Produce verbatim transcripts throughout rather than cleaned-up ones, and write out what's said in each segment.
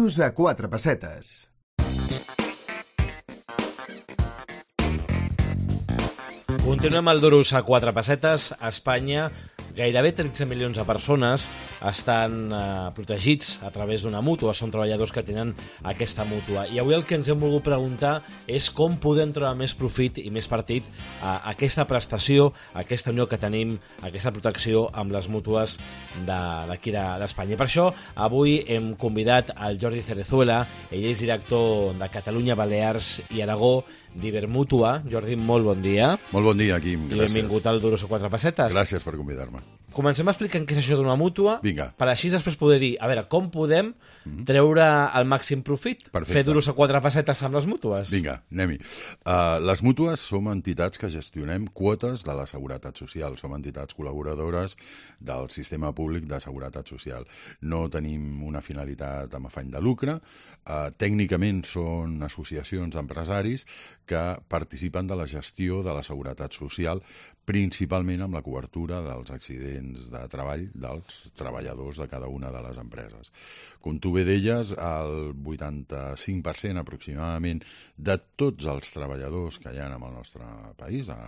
Duros a quatre pessetes. Continuem al Duros a quatre pessetes. A Espanya, gairebé tretze milions de persones estan eh, protegits a través d'una mútua. Són treballadors que tenen aquesta mútua. I avui el que ens hem volgut preguntar és com podem treure més profit i més partit a aquesta prestació, a aquesta unió que tenim, a aquesta protecció amb les mútues d'aquí de, d'Espanya. I per això avui hem convidat al Jordi Cerezuela. Ell és director de Catalunya, Balears i Aragó d'Ibermútua. Jordi, molt bon dia. Molt bon dia, Quim. Gràcies. I benvingut al Duros a quatre pessetes. Gràcies per convidar-me. Comencem explicant què és això d'una mútua. Vinga. Per així després poder dir, a veure, com podem treure el màxim profit? Perfecte. Fer duros a quatre pessetes amb les mútues? Vinga, anem-hi. Uh, les mútues som entitats que gestionem quotes de la Seguretat Social. Som entitats col·laboradores del sistema públic de Seguretat Social. No tenim una finalitat amb afany de lucre. Uh, tècnicament són associacions d'empresaris que participen de la gestió de la Seguretat Social, principalment amb la cobertura dels accidents de treball dels treballadors de cada una de les empreses. Com tu bé deies, el vuitanta-cinc per cent aproximadament de tots els treballadors que hi ha en el nostre país, a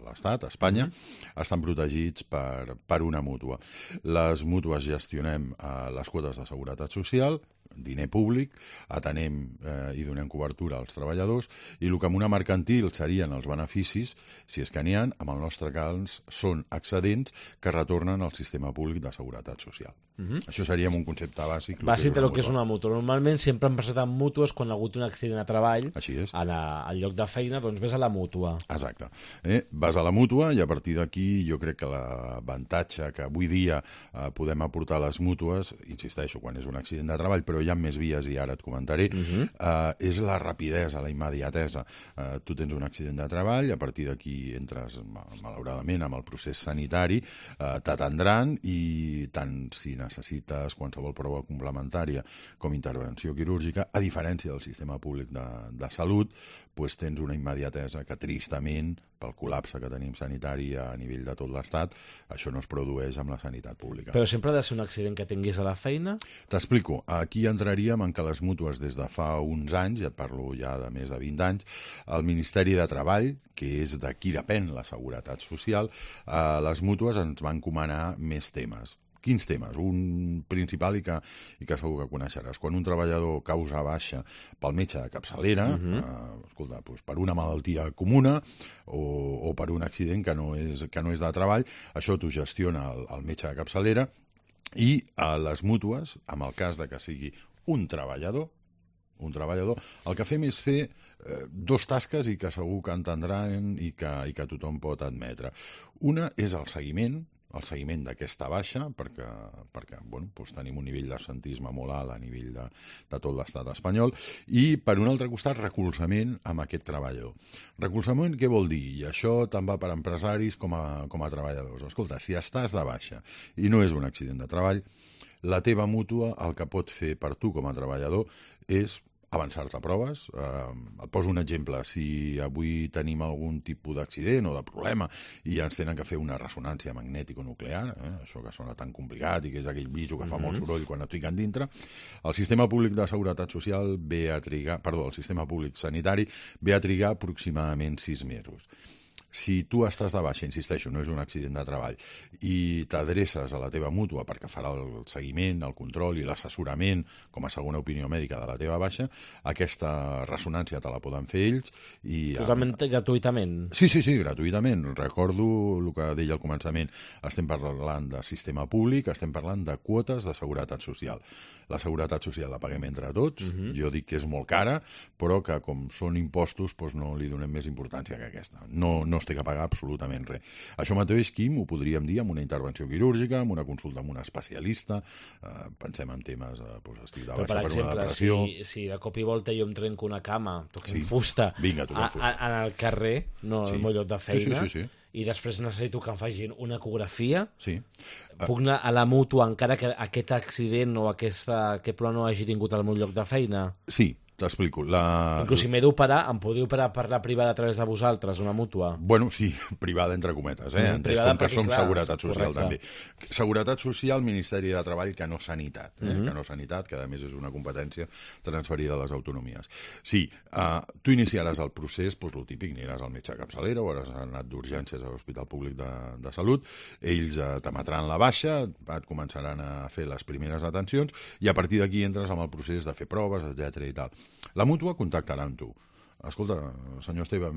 l'Estat, a Espanya, mm-hmm. estan protegits per, per una mútua. Les mútues gestionem eh, les quotes de seguretat social, diner públic, atenem eh, i donem cobertura als treballadors, i el que amb una mercantil serien els beneficis, si és que n'hi ha, amb el nostre cas són excedents que retornen al sistema públic de seguretat social. Mm-hmm. Això seria un concepte bàsic. Bàsic del que és una mútua. Normalment sempre han presentat mútues quan ha hagut un accident a treball. Així és. A la, al lloc de feina, doncs ves a la mútua. Exacte. Eh? Vas a la mútua i a partir d'aquí jo crec que l'avantatge que avui dia eh, podem aportar a les mútues, insisteixo, quan és un accident de treball, però hi ha més vies i ara et comentaré, uh-huh. eh, és la rapidesa, la immediatesa. Eh, tu tens un accident de treball, a partir d'aquí entres, malauradament, amb el procés sanitari, eh, t'atendran i tant si necessites qualsevol prova complementària com intervenció quirúrgica, a diferència del sistema públic de, de salut, doncs tens una immediatesa que tristament, pel col·lapse que tenim sanitari a nivell de tot l'Estat, això no es produeix amb la sanitat pública. Però sempre ha de ser un accident que tinguis a la feina? T'explico. Aquí entraríem en que les mútues des de fa uns anys, ja et parlo ja de més de vint anys, el Ministeri de Treball, que és de qui depèn la Seguretat Social, eh, les mútues ens van encomanar més temes. Quins temes? Un principal i que, i que segur que coneixeràs. Quan un treballador causa baixa pel metge de capçalera, uh-huh. eh, escolta, doncs per una malaltia comuna o, o per un accident que no és, que no és de treball, això t'ho gestiona el, el metge de capçalera, i a les mútues, en el cas de que sigui un treballador, un treballador, el que fem és fer eh, dos tasques i que segur que entendran i que, i que tothom pot admetre. Una és el seguiment, el seguiment d'aquesta baixa, perquè, perquè bueno, doncs tenim un nivell d'absentisme molt alt a nivell de, de tot l'estat espanyol, i per un altre costat recolzament amb aquest treballador. Recolzament què vol dir? I això tant va per empresaris com a, com a treballadors. Escolta, si estàs de baixa i no és un accident de treball, la teva mútua el que pot fer per tu com a treballador és avançar-te a proves. Eh, et poso un exemple. Si avui tenim algun tipus d'accident o de problema i ens tenen que fer una ressonància magnètico-nuclear, eh, això que sona tan complicat i que és aquell bicho que fa mm-hmm. molt soroll quan et fiquen dintre, el sistema públic de seguretat social ve a trigar, perdó, el sistema públic sanitari ve a trigar aproximadament sis mesos. Si tu estàs de baixa, insisteixo, no és un accident de treball, i t'adreces a la teva mútua perquè farà el seguiment, el control i l'assessorament com a segona opinió mèdica de la teva baixa, aquesta ressonància te la poden fer ells. I totalment amb... gratuïtament? Sí, sí, sí, gratuïtament. Recordo el que deia al començament. Estem parlant de sistema públic, estem parlant de quotes de seguretat social. La seguretat social la paguem entre tots, uh-huh. jo dic que és molt cara, però que com són impostos doncs no li donem més importància que aquesta. No, no es té que pagar absolutament res. Això mateix, Quim, ho podríem dir amb una intervenció quirúrgica, amb una consulta amb un especialista, eh, pensem en temes de doncs, estic de baixa per, per exemple, una depressió. Si, si de cop i volta jo em trenco una cama, toquem sí. fusta, Vinga, a, a, en el carrer, no sí. al meu lloc de feina, sí, sí, sí, sí. i després necessito que em facin una ecografia, sí. puc anar a la mútua encara que aquest accident o aquesta, aquest problema no hagi tingut al meu lloc de feina? Sí, t'explico. La... Inclús si m'he d'operar, em podeu operar per la privada a través de vosaltres, una mútua? Bueno, sí, privada entre cometes, eh? Mm, Entès privada com que perquè, som clar, Seguretat Social, correcte. també. Seguretat Social, Ministeri de Treball, que no Sanitat, eh? Mhm. que no Sanitat, que a més és una competència transferida a les autonomies. Sí, uh, tu iniciaràs el procés, doncs el típic, aniràs al metge de capçalera o hauràs anat d'urgències a l'Hospital Públic de, de Salut, ells uh, t'emetran la baixa, et començaran a fer les primeres atencions i a partir d'aquí entres amb el procés de fer proves, etcètera i tal. La mútua contactarà amb tu. Escolta, senyor Esteve,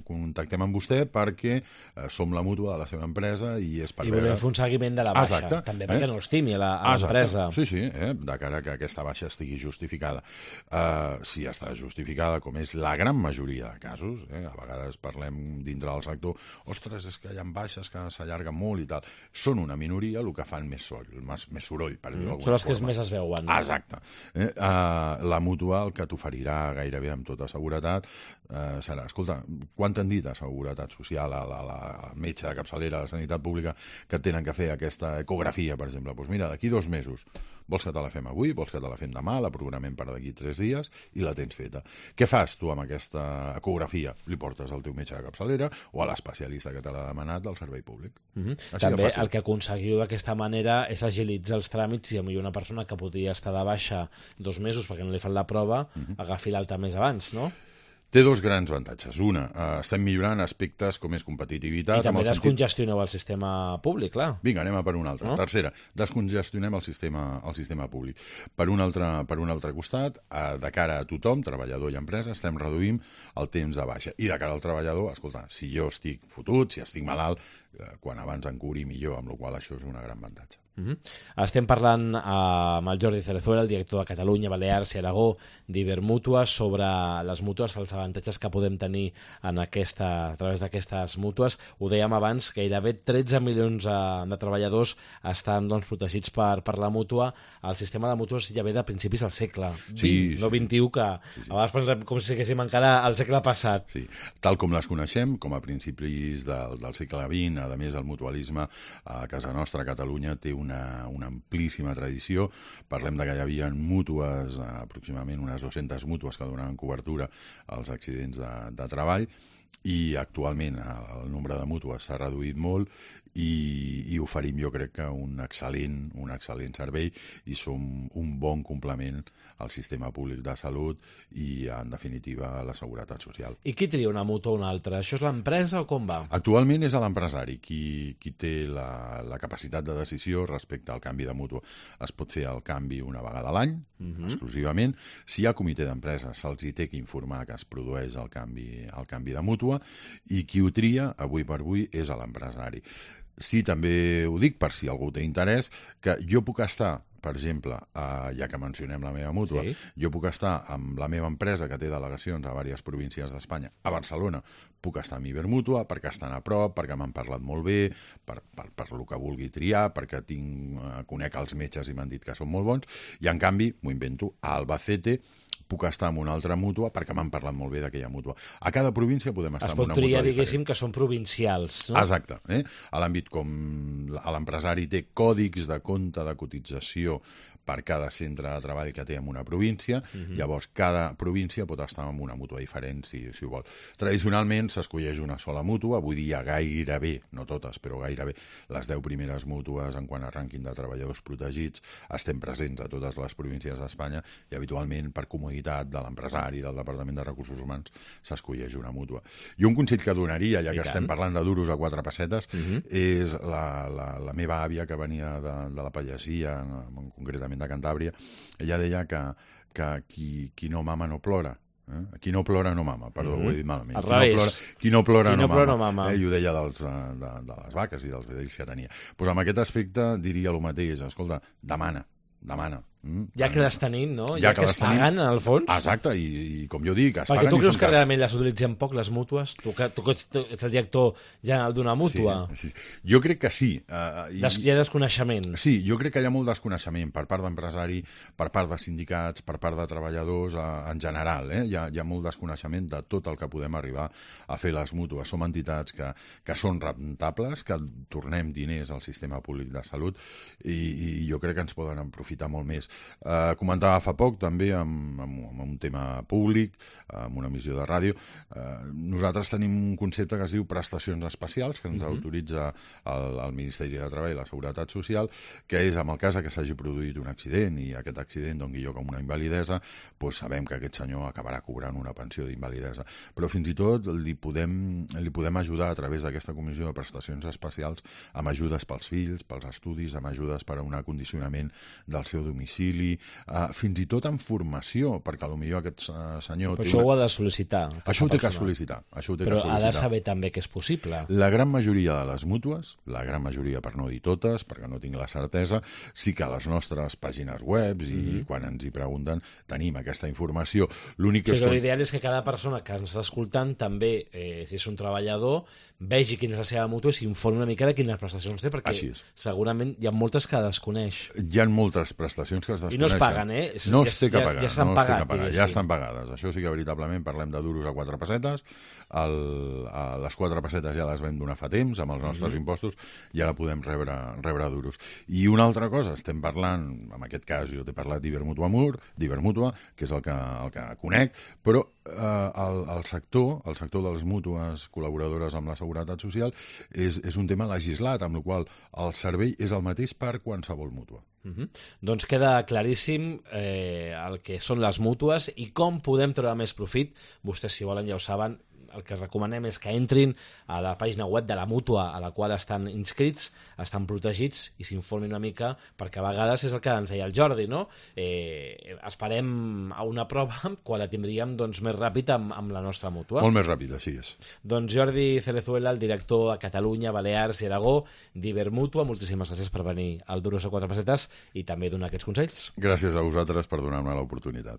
contactem amb vostè perquè eh, som la mútua de la seva empresa i és per I veure... volem fer un seguiment de la baixa. Exacte. També perquè eh? no estimi a la- a Exacte. l'empresa. Sí, sí, eh? de cara que aquesta baixa estigui justificada. Uh, si està justificada, com és la gran majoria de casos, eh? a vegades parlem dintre del sector, ostres, és que hi ha baixes que s'allarguen molt i tal. Són una minoria, el que fan més, sol, més, més soroll, per dir-ho Mm. d'alguna Són les que forma. més es veuen. Exacte. Eh? Uh, la mútua el que t'oferirà gairebé amb tota seguretat eh, serà, escolta, quan t'han dit a Seguretat Social, a la, a la, al metge de capçalera, a la Sanitat Pública, que tenen que fer aquesta ecografia, per exemple? Doncs mira, d'aquí dos mesos, vols que te la fem avui, vols que te la fem demà, la programem per d'aquí tres dies i la tens feta. Què fas tu amb aquesta ecografia? Li portes al teu metge de capçalera o a l'especialista que te l'ha demanat del servei públic. Mhm. Així de També fàcil. el que aconseguiu d'aquesta manera és agilitzar els tràmits i potser una persona que podria estar de baixa dos mesos perquè no li fan la prova, Mhm. agafi l'alta més abans, no? Té dos grans avantatges. Una, eh, estem millorant aspectes com és competitivitat. I també amb el sentit... descongestioneu el sistema públic, clar. Vinga, anem a per una altra. No? No? Tercera, descongestionem el sistema, el sistema públic. Per un altre, per un altre costat, eh, de cara a tothom, treballador i empresa, estem reduint el temps de baixa. I de cara al treballador, escolta, si jo estic fotut, si estic malalt, eh, quan abans em curi millor, amb la qual això és un gran avantatge. Uh -huh. Estem parlant eh, amb el Jordi Cerezuela, el director de Catalunya, Balears i Aragó d'Ibermútua, sobre les mútues, els avantatges que podem tenir en aquesta, a través d'aquestes mútues. Ho dèiem abans, gairebé tretze milions eh, de treballadors estan doncs, protegits per, per la mútua. El sistema de mútues ja ve de principis del segle vint, Sí, sí, no vint-i-u, que Sí, sí. a vegades pensem com si haguéssim encara al segle passat. Sí, tal com les coneixem, com a principis del, del segle vint, a més el mutualisme a casa nostra, a Catalunya, té una, una amplíssima tradició. Parlem de que hi havia mútues, aproximadament unes dues-centes mútues que donaven cobertura als accidents de, de treball, i actualment el nombre de mútues s'ha reduït molt i, i oferim, jo crec que un excel·lent, un excel·lent servei i som un bon complement al sistema públic de salut i, en definitiva, a la seguretat social. I qui tria una mútua o una altra? Això és l'empresa o com va? Actualment és l'empresari qui, qui té la, la capacitat de decisió respecte al canvi de mútua. Es pot fer el canvi una vegada a l'any, Mhm. exclusivament. Si hi ha comitè d'empresa, se'ls hi té que informar que es produeix el canvi, el canvi de mútua, i qui ho tria, avui per avui, és a l'empresari. Sí, també ho dic, per si algú té interès, que jo puc estar, per exemple, eh, ja que mencionem la meva mútua, Sí. jo puc estar amb la meva empresa que té delegacions a diverses províncies d'Espanya. A Barcelona puc estar amb Ibermútua perquè estan a prop, perquè m'han parlat molt bé, per, per, per el que vulgui triar, perquè tinc, eh, conec els metges i m'han dit que són molt bons, i en canvi, m'ho invento, a Albacete puc estar en una altra mútua perquè m'han parlat molt bé d'aquella mútua. A cada província podem estar Es en pot una triar, mútua diguéssim, diferent. que són provincials, no? Exacte. Eh? A l'àmbit com l'empresari té còdics de compte de cotització per cada centre de treball que té en una província, Mhm. llavors cada província pot estar en una mútua diferent, si, si ho vol. Tradicionalment s'escolleix una sola mútua, avui dia gairebé, no totes, però gairebé les deu primeres mútues en quant a rànquing de treballadors protegits estem presents a totes les províncies d'Espanya i habitualment per comoditat de l'empresari, del Departament de Recursos Humans, s'escolleix una mútua. I un consell que donaria, ja I que tant. estem parlant de duros a quatre pessetes, Mhm. és la, la, la meva àvia que venia de, de la Pallasia, concretament de Cantàbria. Ella deia que, que qui, qui no mama no plora. Eh? Qui no plora no mama, perdó, Mhm. ho he dit malament. Al Qui no revés. plora, qui no plora Qui no, no plora mama. no mama. Eh? I ho deia dels, de, de, de les vaques i dels vedells que tenia. Pues amb aquest aspecte diria el mateix. Escolta, demana, demana. Mm? Ja que les tenim, no? Ja Ja, que que les es paguen, tenim. en el fons. Exacte, i, i com jo dic, es Perquè paguen tu i creus són que cars. realment les utilitzem poc, les mútues? Tu que, tu que ets, ets el director general d'una mútua. Sí, sí. Jo crec que sí. Uh, i, Des, hi ha desconeixement. Sí, jo crec que hi ha molt desconeixement per part d'empresari, per part de sindicats, per part de treballadors, eh, en general. Eh? Hi, ha, hi ha molt desconeixement de tot el que podem arribar a fer les mútues. Som entitats que, que són rentables, que tornem diners al sistema públic de salut i, i jo crec que ens poden aprofitar molt més. Eh, comentava fa poc, també, amb, amb, amb un tema públic, amb una emissió de ràdio, eh, nosaltres tenim un concepte que es diu prestacions especials, que ens uh-huh. autoritza el, el Ministeri de Treball i la Seguretat Social, que és, en el cas que s'hagi produït un accident i aquest accident doni lloc a una invalidesa, doncs sabem que aquest senyor acabarà cobrant una pensió d'invalidesa. Però fins i tot li podem, li podem ajudar a través d'aquesta comissió de prestacions especials amb ajudes pels fills, pels estudis, amb ajudes per a un acondicionament del seu domicili, eh, fins i tot amb formació, perquè potser aquest uh, senyor... Però això una... ho ha de sol·licitar. Això ho té que sol·licitar. Això ho té Però que sol·licitar. Ha de saber també que és possible. La gran majoria de les mútues, la gran majoria, per no dir totes, perquè no tinc la certesa, sí que a les nostres pàgines web i mm-hmm. quan ens hi pregunten tenim aquesta informació. L'únic o sigui, és que... L'ideal és que cada persona que ens està escoltant també, eh, si és un treballador, vegi quina és la seva mútua i s'informi una mica de quines prestacions té, perquè segurament hi ha moltes que desconeix. Hi ha moltes prestacions que es desconeixen. I no es paguen, eh? No es té que pagar. Ja, ja estan no pagat, pagar, ja estan pagades. Això sí que veritablement parlem de duros a quatre pessetes. El, a les quatre pessetes ja les vam donar fa temps amb els nostres mm-hmm. impostos i ara podem rebre, rebre duros. I una altra cosa, estem parlant, en aquest cas jo t'he parlat d'Ibermutua Mur, d'Ibermutua, que és el que, el que conec, però eh, el, el sector, el sector de les mútues col·laboradores amb la Seguretat Social és, és un tema legislat, amb el qual el servei és el mateix per qualsevol mútua. Uh-huh. Doncs queda claríssim eh, el que són les mútues i com podem treure més profit. Vostès, si volen, ja ho saben, el que recomanem és que entrin a la pàgina web de la mútua a la qual estan inscrits, estan protegits i s'informin una mica, perquè a vegades és el que ens deia el Jordi, no? Eh, esperem a una prova quan la tindríem doncs, més ràpid amb, amb la nostra mútua. Molt més ràpid, així és. Doncs Jordi Cerezuela, el director a Catalunya, Balears i Aragó d'Ibermutua, moltíssimes gràcies per venir al Duros a quatre pessetes i també donar aquests consells. Gràcies a vosaltres per donar-me l'oportunitat.